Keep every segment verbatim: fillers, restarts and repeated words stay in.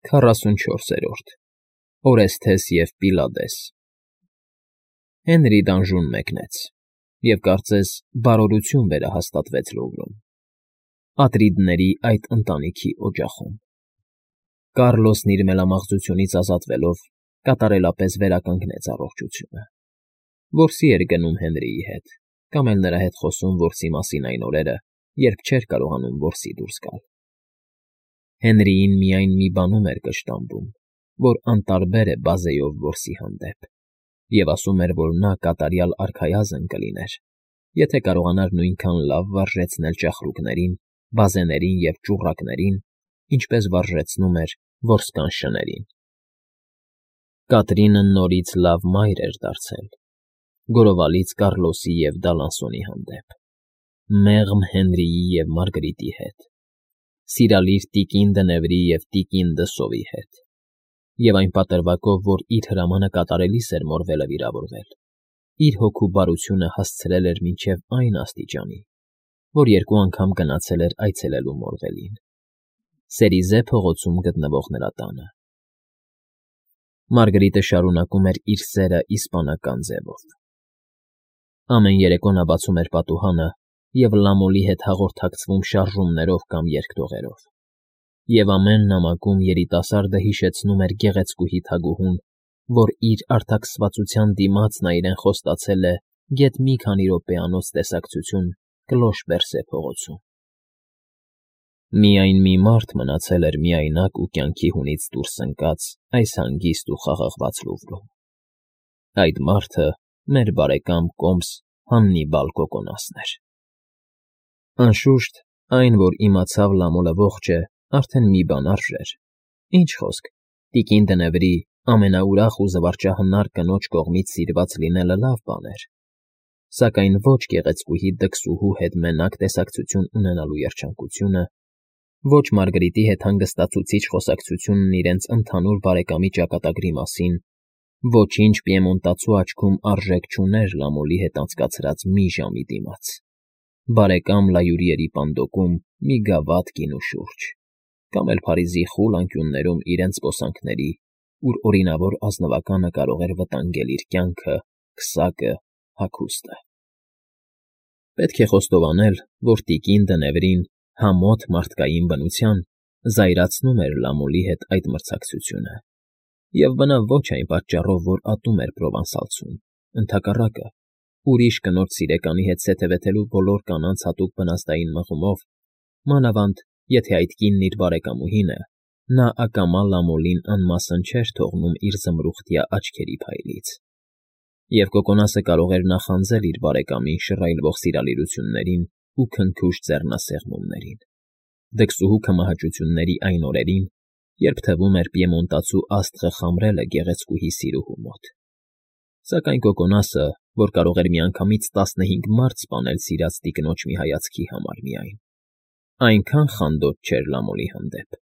Քառասունչորսերորդ Օրեսթես և Պիլադես Հենրի դանժուն մեկնեց, և կարծես բարօրություն վերահաստատվեց Լուվրում, Ատրիդների այդ ընտանիքի օջախում. Կառլոսն իր մելամաղձությունից ազատվելով կատարելապես վերականգնեց առողջությունը, որսի էր գնում Հենրիի հետ կամ էլ նրա հետ խոսում որսի մասին այն օրերը, երբ չէր կարողանում որսի դուրս գալ. Հենրիին միայն մի բանում էր կշտամբում, որ անտարբեր է բազեով որսի հանդեպ, և ասում էր, որ նա կատարյալ արքայազն կլիներ, եթե կարողանար նույնքան լավ վարժեցնել ճախրուկներին, բազեներին և ճուռակներին, ինչպես վարժեցնում էր որսական շներին։ Կատրինը նորից լավ մայր էր դարձել, գորովալից Կառլոսի և Դալանսոնի հանդեպ, մեղմ Հենրիի և Մարգարիտի հետ, սիրալիր տիկին Դնևրի և տիկին Դսովի հետ, և այն պատրվակով, որ իր հրամանը կատարելիս էր մորվելը վիրավորվել, իր հոգու բարությունը հասցրել էր մինչև այն աստիճանի, որ երկու անգամ գնացել էր այցելելու մորվելին, Սերիզե փողոցում գտնվող նրա տանը։ Մարգարիտը շարունակում էր իր սերը իսպանական ձևով. Ամեն երեկո նա բացում էր պատուհանը և լամոլի հետ հաղորդակցվում շարժումներով կամ երգտողերով, և ամեն նամակում երիտասարդը հիշեցնում էր գեղեցկուհի թագուհուն, որ իր արտաքսվածության դիմաց նա իրեն խոստացել է գեթ մի քանի րոպեանոց տեսակցություն Կլոշ֊Պերսե փողոցում։ Միայն մի մարդ մնացել էր միայնակ ու կյանքի հունից դուրս ընկած այս հանգիստ ու խաղաղված Լուվրում. այդ մարդը մեր բարեկամ կոմս Հաննիբալ Կոկոնասն էր։ Անշուշտ, այն, որ իմացավ Լամոլը ողջ է, արդեն մի բան արժեր, ինչ խոսք, տիկին Դնևրի ամենաուրախ ու զվարճահնար կնոջ կողմից սիրված լինելը լավ բան էր, սակայն ոչ գեղեցկուհի դքսուհու հետ մենակ տեսակցություն ունենալու երջանկությունը, ոչ Մարգարիտի հետ հանգստացուցիչ խոսակցությունն իրենց ընդհանուր բարեկամի ճակատագրի մասին, ոչինչ պիեմոնտացու աչքում արժեք չուներ Լամոլի հետ անցկացրած մի ժամի դիմաց, բարեկամ Լայուրիերի պանդոկում մի գավաթ գինու շուրջ, կամ էլ Փարիզի խուլ անկյուններում իրենց զբոսանքների, ուր օրինավոր ազնվականը կարող էր վտանգել իր կյանքը, քսակը, հագուստը։ Պետք է խոստովանել, որ տիկին Դնևրին համոտ մարդկային բնության զայրացնում էր Լամոլի հետ այդ մրցակցությունը, և բնավ ոչ այն պատճառով, որ ատում էր Պրովանսալցուն, ընդհակառակը, ուրիշ կնոջ սիրեկանի հետ սեթևեթելու բոլոր կանանց հատուկ բնազդային մղումով, մանավանդ եթե այդ կինն իր բարեկամուհին է, նա ակամա Լամոլին անմասն չէր թողնում իր զմրուխտյա աչքերի փայլից, և Կոկոնասը կարող էր նախանձել իր բարեկամին շռայլվող սիրալիրություններին ու քնքուշ ձեռնասեղմումներին, դքսուհու քմահաճությունների այն օրերին, երբ թվում էր պիեմոնտացու աստղը խամրել է գեղեցկուհի սիրուհու մոտ, սակայն Կոկոնասը, որ կարող էր միանգամից տասնհինգ մարդ սպանել սիրած տիկնոջ մի հայացքի համար միայն, այնքան խանդոտ չէր Լամոլի հանդեպ,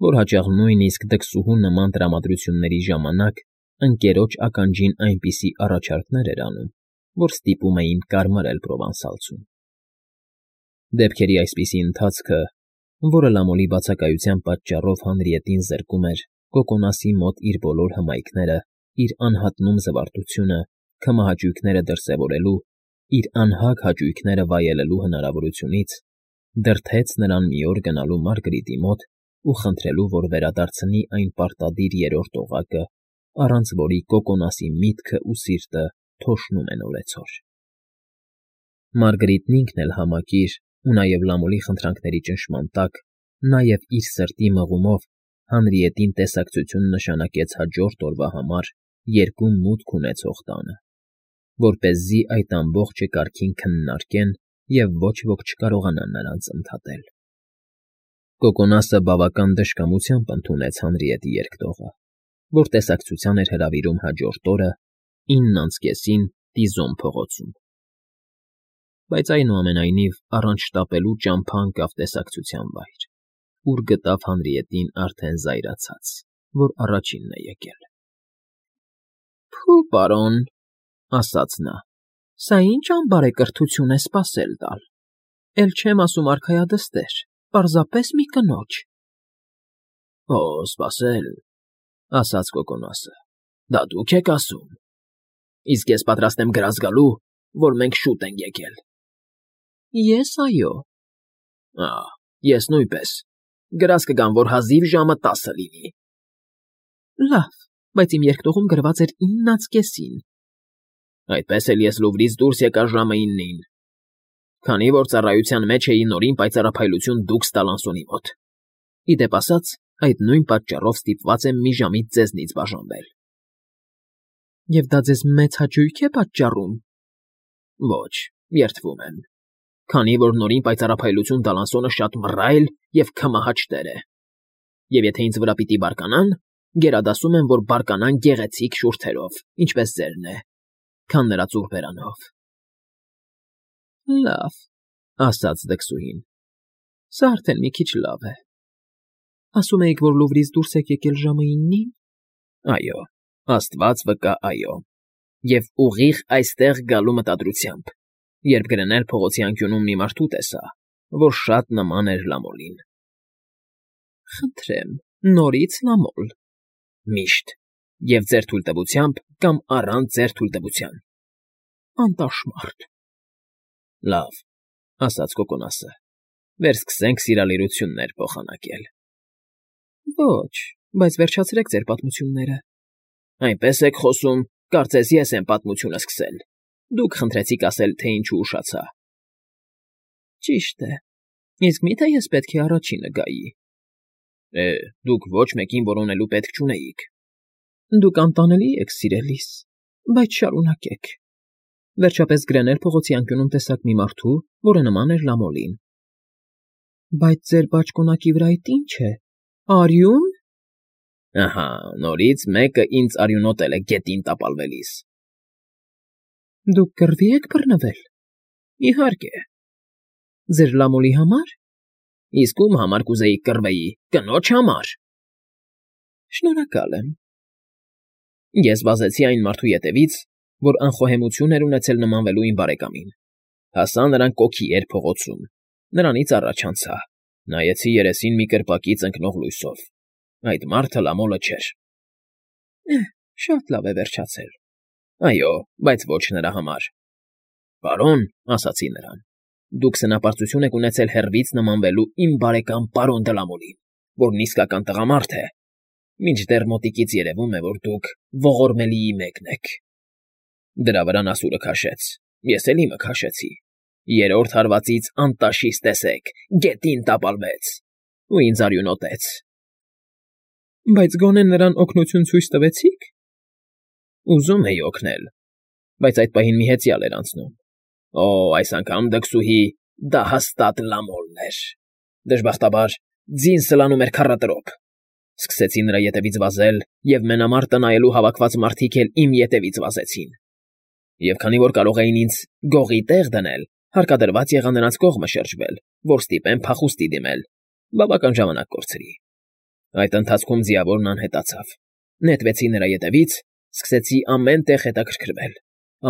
որ հաճախ նույնիսկ դքսուհու նման տրամադրությունների ժամանակ ընկերոջ ականջին այնպիսի առաջարկներ էր անում, որ ստիպում էին կարմարել Պրովանսալցուն։ Դեպքերի այսպիսի ընթացքը, որը Լամոլի բացակայության պատճառով Հանրիետին զրկում էր Կոկոնասի մոտ իր բոլոր հմայքները, իր անհատնում զվարթությունը, քմահաճույքները դրսևորելու, իր անհագ հաճույքները վայելելու հնարավորությունից, դրդեց նրան մի օր գնալու Մարգարիտի մոտ ու խնդրելու, որ վերադարձնի այն պարտադիր երրորդ օղակը, առանց որի Կոկոնասի միտքն ու սիրտը թոշնում են օրեցօր։ Մարգարիտն ինքն էլ համակիր ու նաև Լամոլի խնդրանքների ճնշման տակ, նաև իր սրտի մղումով Հանրիետին տեսակցություն նշանակեց հաջորդ օրվա համար երկու մուտք ունեցող տանը, որպեսզի այդ ամբողջը կարգին քննարկեն և ոչ ոք չկարողանա նրանց ընդհատել։ Կոկոնասը բավական դժկամությամբ ընդունեց Հանրիետի երկտողը, որ տեսակցության էր հրավիրում հաջորդ օրը ինն անց կեսին Տիզոն փողոցում, բայց այնուամենայնիվ առանց շտապելու ճամփա ընկավ տեսակցության վայր, ուր գտավ Հանրիետին արդեն զայրացած, որ առաջինն է եկել։ ֊ Փո՜ւ, պարոն,֊ ասաց նա,֊ սա ի՞նչ անբարեկրթություն է սպասել տալ, էլ չեմ ասում արքայադստեր, պարզապես մի կնոջ։ Օ, սպասել, ասաց Կոկոնասը, դա դուք եք ասում։ Իսկ ես պատրաստ եմ գրազ գալու, որ մենք շուտ ենք եկել։ Ես այո։ Ահ, ես նույնպես։ Գրազ կգամ, որ հազիվ ժամը տասը լինի։ Լավ, բայց իմ երկտողում գրված էր իննից կեսին։ Այդպես էլ ես Լուվրից դուրս եկա ժամը իննին։ Քանի որ ծառայության մեջ էի նորին պայծառափայլություն դուք Ստալանսոնի մոտ։ Ի դեպ ասած, այդ նույն պատճառով ստիպված եմ մի ժամից ձեզնից բաժանվել։ Եվ դա ձեզ մեծ հաճույք է պատճառում։ Ոչ, երդվում եմ։ Քանի որ նորին պայծառափայլություն Դալանսոնը շատ մռայլ եւ քմահաճ տեր է։ Եվ եթե ինձ վրա պիտի բարկանան, գերադասում եմ, որ բարկանան գեղեցիկ շուրթերով, ինչպես ձերն է, քան նրա ծուրբերանով։ Լավ, ասաց դքսուհին։ Սա արդեն մի քիչ լավ է։ Ասում էիք, որ Լուվրից դուրս եք եկել ժամը իննին։ Այո, աստված վկա, այո։ Եվ ուղիղ այստեղ գալու մտադրությամբ, երբ գրնել փողոցի անկյունում մի մարդու տեսա, որ շատ նման էր Լամոլին։ Խնդրեմ, նորից Լամոլ։ Միշտ, եւ ձեր թույլտվությամբ կամ առանց ձեր թույլտվության։ Անտաշմարտ։ Լավ, ասաց Կոկոնասը։ Վերսկսենք սիրալիրություններ փոխանակել։ Ոչ, բայց վերջացրեք ձեր պատմությունները։ Այնպես եք խոսում, կարծես ես եմ պատմությունը սկսել։ Դուք խնդրեցիք ասել, թե ինչու ուշացա։ Ճիշտ է։ Իսկ մի՞թե ես պետք է առաջինը գայի։ Է, դուք ոչ մեկին որոնելու պետք չունեիք։ Դուք անտանելի եք սիրելիս, բայց շարունակեք։ Վերջապես Գրենել փողոցի անկյունում տեսակ մի մարդու, որը նման էր Լամոլին։ Բայց ձեր բաճկոնակի վրա այդ ի՞նչ է։ Արյուն։ Ահա, նորից մեկը ինձ արյունոտել է գետին տապալվելիս։ Դուք կռվի եք բռնվել։ Իհարկե։ Ձեր Լամոլի համար։ Իսկ ում համար կուզեի կռվեի, կնոջ համար։ Շնորհակալ եմ։ Ես վազեցի այն մարդու ետևից, որ անխոհեմություն էր ունեցել նմանվելու իմ բարեկամին։ Հասա նրան կոքի էր փողոցում։ Նրանից առաջ անցա։ Նայեցի երեսին մի կրպակից ընկնող լույսով։ Այդ մարդը Լամոլը չէր։ Էհ, շատ լավ է վերջացել։ Այո, բայց ոչ նրա համար։ Պարոն, ասացի նրան, դուք սնապարծություն եք ունեցել հեռվից նմանվելու իմ բարեկամ պարոն Դլամոլին, որն իսկական տղամարդ է։ Մինչդեռ մոտիկից երևում է, որ դուք ողորմելիի մեկն եք։ Դրա վրա նա սուրը քաշեց։ Ես էլ իմը քաշեցի։ Երրորդ հարվածից անտաշիս տեսեք, գետին տապալվեց ու ինձ արյունոտեց։ Բայց գոնե նրան օգնություն ցույց տվեցիք։ Ուզում էի օգնել, բայց այդ պահին մի հեծյալ էր անցնում։ Օ, այս անգամ դքսուհի, դա հաստատ Լամոլն էր։ Դժբախտաբար, ձին սլանում էր քառատրոփ։ Սկսեցի նրա ետևից վազել, եւ մենամարտը նայելու հավաքված մարդիկ էլ իմ ետևից վազեցին։ Եվ քանի որ կարող էին ինձ գողի տեղ դնել, հարկադրված եղա նրանց կողմը շրջվել, որ ստիպեմ փախուստի դիմել, բավական ժամանակ կորցրի։ Այդ ընթացքում ձիավորն անհետացավ։ Նետվեցի նրա ետևից, սկսեցի ամեն տեղ հետաքրքրվել։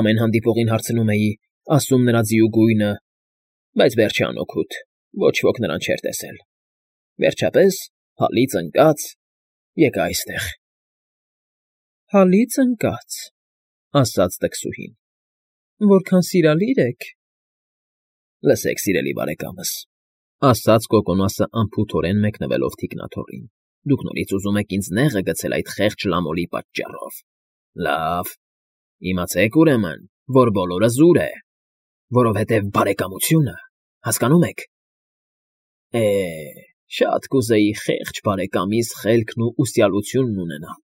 Ամեն հանդիպողին հարցնում էի, ասում նրա ձիու գույնը, բայց վերջի անօգուտ, ոչ ոք նրան չէր տեսել։ Վերջապես, հալից ընկած, եկա այստեղ։ Հալից ընկած, ասաց դքսուհին։ Որքան սիրալիր եք։ Լսեք, սիրելի բարեկամս, ասաց Կոկոնասը անփութորեն մեկնվելով թիկնաթոռին։ Դուք նորից ուզում եք ինձ նեղը գցել այդ խեղճ Լամոլի պատճառով։ Լավ, իմացեք ուրեմն, որ բոլորը զուր է, որովհետև բարեկամությունը, հասկանում եք։ Է, շատ կուզեի խեղճ բարեկամիս խելքն ու ուսյալությունն ունենալ,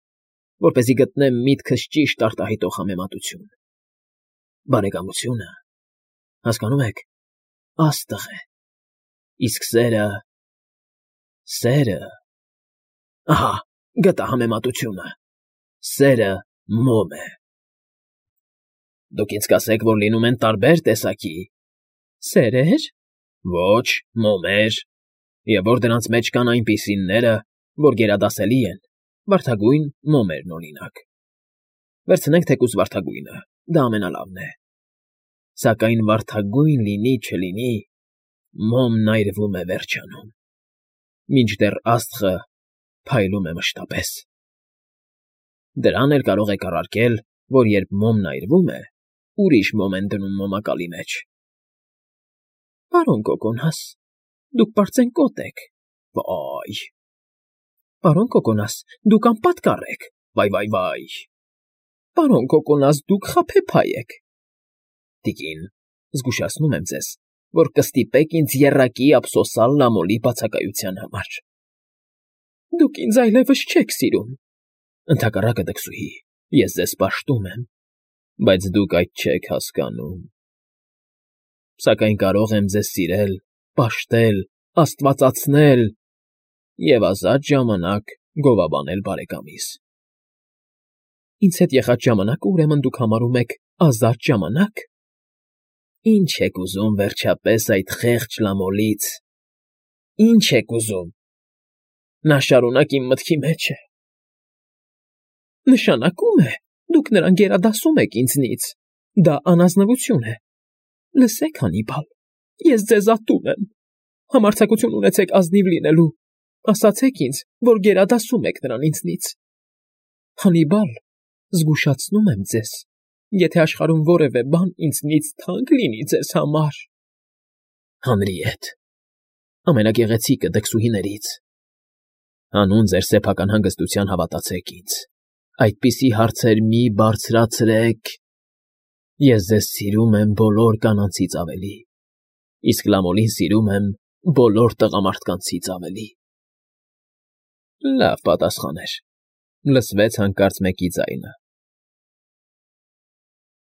որպեսզի գտնեմ միտքս ճիշտ արտահայտող համեմատություն։ Բարեկամությունը, հասկանում եք, աստղ է, իսկ սերը, սերը, ահա, գտա համեմատությունը, սերը մոմ է։ Դուք ինձ կասեք, որ լինում են տարբեր տեսակի։ Սերեր։ Ոչ, մոմեր, եւ որ դրանց մեջ կան այնպիսիները, որ գերադասելի են, վարդագույն մոմերն օրինակ։ Վերցնենք թեկուզ վարդագույնը, դա ամենալավն է։ Սակայն վարդագույն լինի չլինի, մոմն այրվում է վերջանում։ Մինչդեռ աստղը փայլում է մշտապես։ Դրան էլ կարող եք առարկել, որ երբ մոմն այրվում է, ուրիշ մոմ են դնում մոմակալի մեջ։ Պարոն Կոկոնաս, դուք պարծենկոտ եք, վա՜յ։ Պարոն Կոկոնաս, դուք անպատկառ եք, վայ֊վայ֊վայ։ Պարոն Կոկոնաս, դուք խաբեբայ եք։ Տիկին, զգուշացնում եմ ձեզ, որ կստիպեք ինձ եռակի ափսոսալ Լամոլի բացակայության համար։ Դուք ինձ այլևս չեք սիրում։ Ընդհակառակը, դքսուհի, ես ձեզ պաշտում եմ, բայց դուք այդ չեք հասկանում։ Սակայն կարող եմ ձեզ սիրել, պաշտել, աստվածացնել և ազատ ժամանակ գովաբանել բարեկամիս։ Ինձ հետ եղած ժամանակը, ուրեմն, դուք համարում եք ազատ ժամանակ։ Ինչ եք ուզում, վերջապես, այդ խեղճ Լամոլից, ինչ եք ուզում։ Նա շարունակ իմ մտքի մեջ է։ Նշանակում է, դուք նրան գերադասում եք ինձնից, դա անազնվություն է։ Լսեք, Հանիբալ, ես ձեզ ատում եմ, համարձակություն ունեցեք ազնիվ լինելու, ասացեք ինձ, որ գերադասում եք նրան ինձնից։ Հանիբալ, զգուշացնում եմ ձեզ, եթե աշխարհում որևէ բան ինձնից թանկ լինի ձեզ համար… Հանրիետ, ամենագեղեցիկը դքսուհիներից, հանուն ձեր սեփական հանգստության հավատացեք ինձ, այդպիսի հարցեր մի բարձրացրեք… Ես ձեզ սիրում եմ բոլոր կանանցից ավելի, իսկ Լամոլին սիրում եմ բոլոր տղամարդկանցից ավելի… Լավ պատասխան էր, լսվեց հանկարծ մեկի ձայնը։